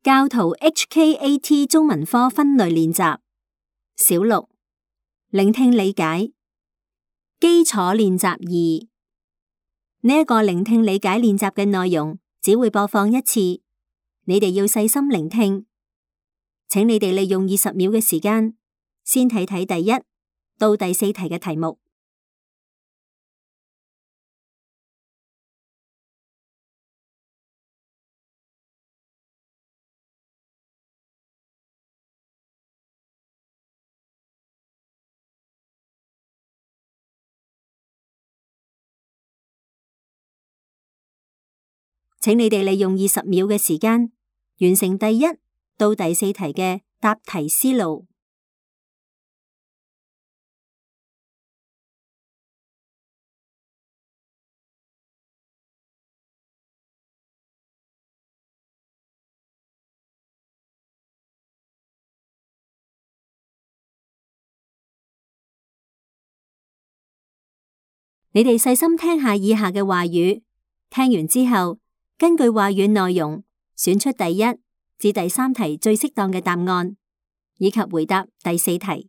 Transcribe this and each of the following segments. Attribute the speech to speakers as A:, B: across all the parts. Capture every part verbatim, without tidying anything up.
A: 教徒 H K A T 中文科分類練習小六聆聽理解基礎練習二。呢一個聆聽理解練習嘅內容只會播放一次，你哋要細心聆聽。請你哋利用二十秒嘅時間，先睇睇第一到第四題嘅題目。請你哋利用二十秒嘅時間，完成第一到第四題嘅答題思路。你哋細心聽下以下嘅話語，聽完之後，根據話語內容，選出第一至第三題最適當嘅答案，以及回答第四題。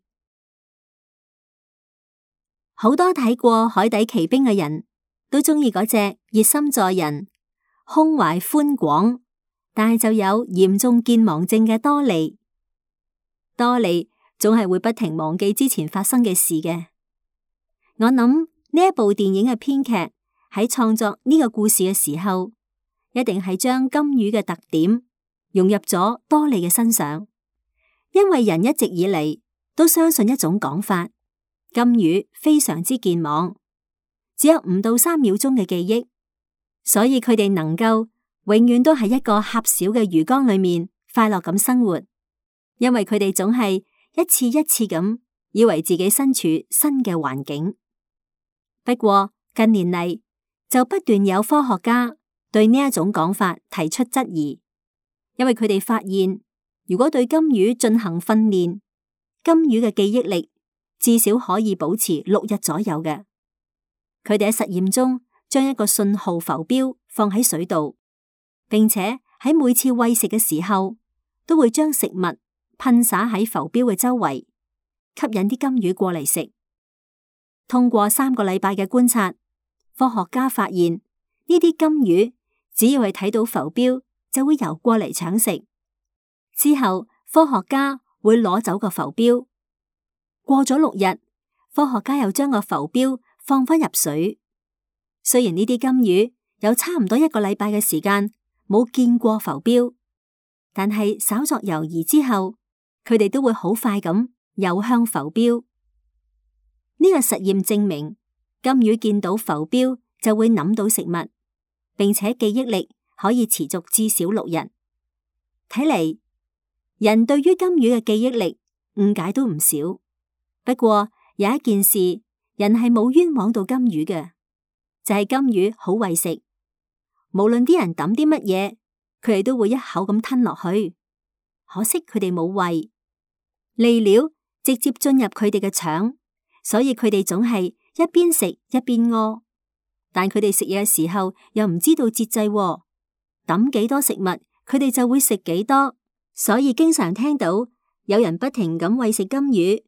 A: 好多睇過《海底奇兵》嘅人都鍾意嗰隻熱心助人、胸懷寬廣，但係就有嚴重健忘症嘅多利。多利總係會不停忘記之前發生嘅事嘅。我諗呢一部電影嘅編劇喺創作呢個故事嘅時候，一定係將金魚嘅特點融入咗多利嘅身上，因為人一直以嚟都相信一種講法，金魚非常之健忘，只有五到三秒鐘嘅記憶，所以佢哋能夠永遠都喺一個狹小嘅魚缸裏面快樂咁生活，因為佢哋總係一次一次咁以為自己身處新嘅環境。不過近年嚟就不斷有科學家對呢一種講法提出質疑，因為佢哋發現，如果對金魚進行訓練，金魚嘅記憶力至少可以保持六日左右嘅。佢哋喺實驗中將一個信號浮標放喺水度，並且喺每次餵食嘅時候都會將食物噴灑喺浮標嘅周圍，吸引啲金魚過嚟食。通過三個禮拜嘅觀察，科學家發現呢啲金魚只要係睇到浮標就會游過嚟搶食。之後科學家會攞走個浮標，過咗六日，科學家又將個浮標放返入水。雖然呢啲金魚有差唔多一個禮拜嘅時間冇見過浮標，但係稍作猶豫之後，佢哋都會好快咁游向浮標。呢個實驗證明，金魚見到浮標就會諗到食物，並且記憶力可以持續至少六日。睇嚟，人對於金魚嘅記憶力誤解都唔少。不過有一件事，人係冇冤枉到金魚嘅，就係金魚好為食，無論啲人抌啲乜嘢，佢哋都會一口咁吞落去。可惜佢哋冇胃，餌料直接進入佢哋嘅腸。所以佢哋總係一邊食一邊屙，但佢哋食嘢嘅時候又唔知道節制喎，抌幾多食物佢哋就會食幾多，所以經常聽到有人不停咁餵食金魚，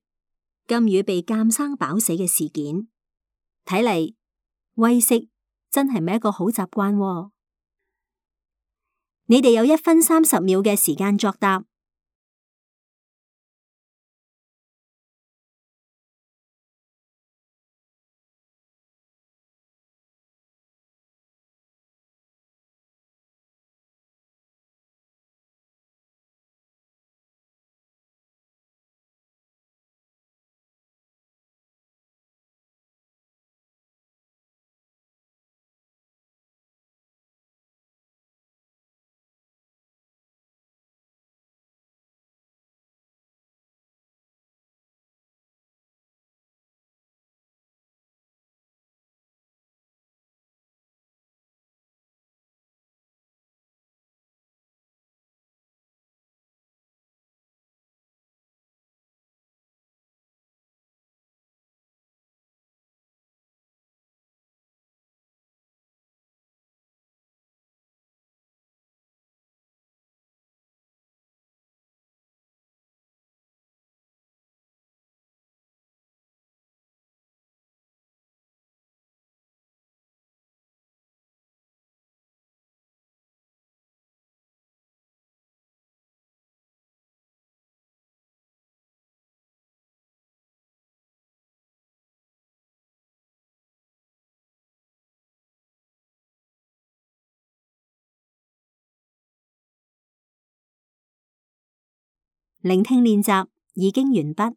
A: 金魚被監生飽死嘅事件。睇嚟餵食真係咪一個好習慣喎？你哋有一分三十秒嘅時間作答。聆聽練習已經完畢。